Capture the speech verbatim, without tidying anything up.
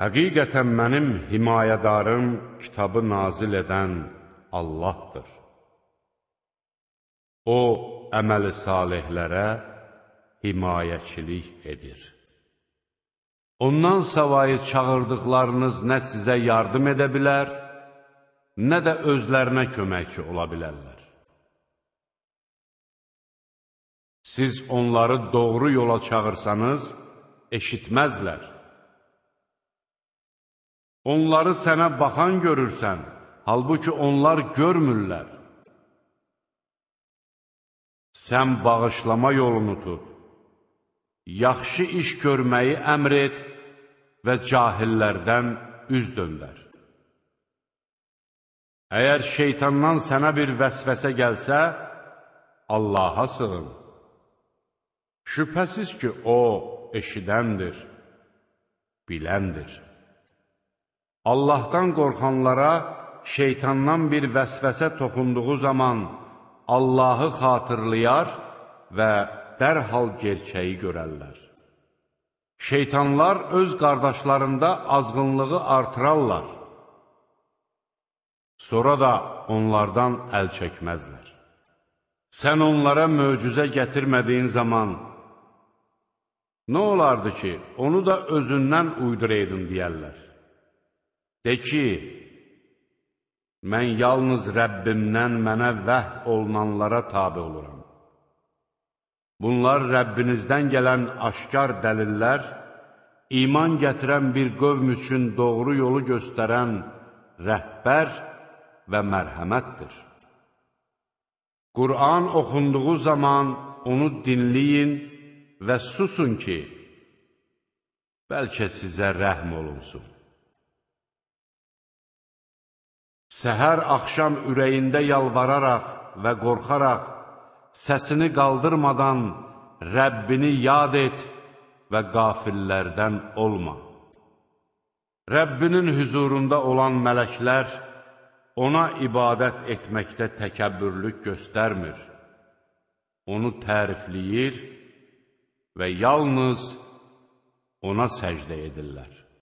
Həqiqətən mənim himayədarım kitabı nazil edən Allahdır. O, əməli salihlərə himayəçilik edir. Ondan savayı çağırdıqlarınız nə sizə yardım edə bilər, nə də özlərinə köməkçi ola bilərlər. Siz onları doğru yola çağırsanız, eşitməzlər. Onları sənə baxan görürsən, halbuki onlar görmürlər. Sən bağışlama yolunu tut, yaxşı iş görməyi əmr et və cahillərdən üz döndər. Əgər şeytandan sənə bir vəsvəsə gəlsə, Allaha sığın. Şübhəsiz ki, O eşidəndir, biləndir. Allahdan qorxanlara şeytandan bir vəsvəsə toxunduğu zaman Allahı xatırlayar və dərhal gerçəyi görərlər. Şeytanlar öz qardaşlarında azğınlığı artırarlar. Sonra da onlardan əl çəkməzlər. Sən onlara möcüzə gətirmədiyin zaman, nə olardı ki, onu da özündən uyduraydın deyərlər. De ki, mən yalnız Rəbbimdən mənə vəh olunanlara tabi oluram. Bunlar Rəbbinizdən gələn aşkar dəlillər, iman gətirən bir qövm üçün doğru yolu göstərən rəhbər və mərhəmətdir. Qur'an oxunduğu zaman onu dinləyin və susun ki, bəlkə sizə rəhm olunsun. Səhər axşam ürəyində yalvararaq və qorxaraq, səsini qaldırmadan Rəbbini yad et və qafillərdən olma. Rəbbinin hüzurunda olan mələklər ona ibadət etməkdə təkəbbürlük göstərmir. Onu tərifləyir və yalnız ona səcdə edirlər.